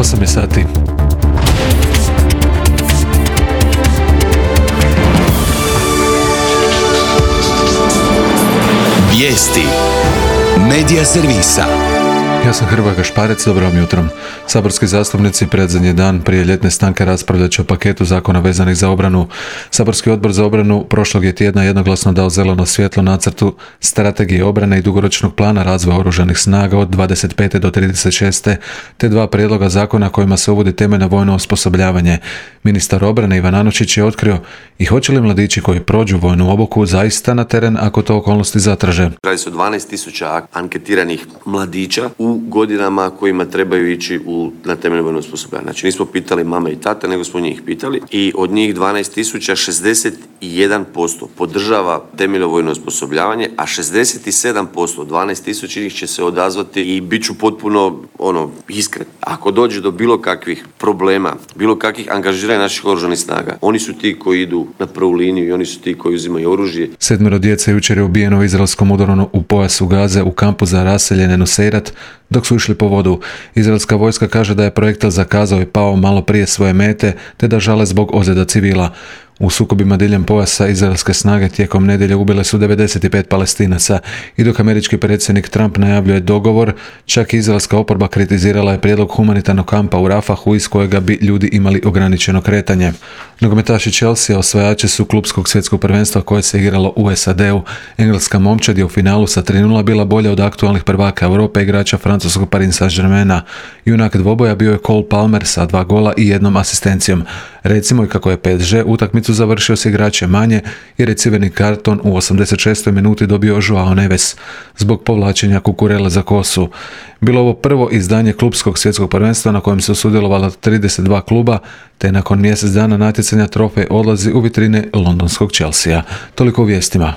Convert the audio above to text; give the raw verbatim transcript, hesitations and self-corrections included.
osam je sati. Vijesti Medija servisa. Ja sam Hrvoje Gašparec, dobro vam jutro. Saborski zastupnici predzadnji dan prije ljetne stanke raspravljat će o paketu zakona vezanih za obranu. Saborski odbor za obranu prošlog je tjedna jednoglasno dao zeleno svjetlo nacrtu strategije obrane i dugoročnog plana razvoja oružanih snaga od dvadeset pete do trideset šeste te dva prijedloga zakona kojima se uvodi temeljno vojno osposobljavanje. Ministar obrane Ivan Anušić je otkrio i hoće li mladići koji prođu vojnu obuku zaista na teren ako to okolnosti zatraže. Radi se o dvanaest tisuća anketiranih mladića u godinama kojima trebaju ići u, na temeljno vojno osposobljavanje. Znači nismo pitali mame i tate, nego smo njih pitali i od njih dvanaest tisuća šezdeset jedan posto podržava temeljno vojno osposobljavanje, a šezdeset sedam posto od dvanaest tisuća njih će se odazvati i bit ću potpuno ono, iskren. Ako dođe do bilo kakvih problema, bilo kakvih angažiranja naših oružanih snaga, oni su ti koji idu na prvu liniju i oni su ti koji uzimaju oružje. Sedmero djece jučer je ubijeno u izraelskom udaru u pojasu Gaze u kampu za raseljene Nuseirat dok su išli po vodu. Izraelska vojska kaže da je projektil zakazao i pao malo prije svoje mete, te da žale zbog ozljeda civila. U sukobima diljem pojasa izraelske snage tijekom nedjelje ubile su devedeset pet Palestinaca i dok američki predsjednik Trump najavljuje dogovor, čak i izraelska oporba kritizirala je prijedlog humanitarnog kampa u Rafahu iz kojega bi ljudi imali ograničeno kretanje. Nogometaši Chelsea osvajači su klupskog svjetskog prvenstva koje se igralo u S A D-u. Engleska momčad je u finalu sa tri nula bila bolja od aktualnih prvaka Europe igrača francuskog Paris Saint-Germaina. Junak dvoboja bio je Cole Palmer sa dva gola i jednom asistencijom. Recimo i kako je P S G utakmicu završio s igračem manje jer je crveni karton u osamdeset šestoj minuti dobio Joao Neves zbog povlačenja Kukurela za kosu. Bilo ovo prvo izdanje klupskog svjetskog prvenstva na kojem su sudjelovala trideset dva kluba, te nakon mjesec dana natjecanja trofej odlazi u vitrine londonskog Chelsea. Toliko u vijestima.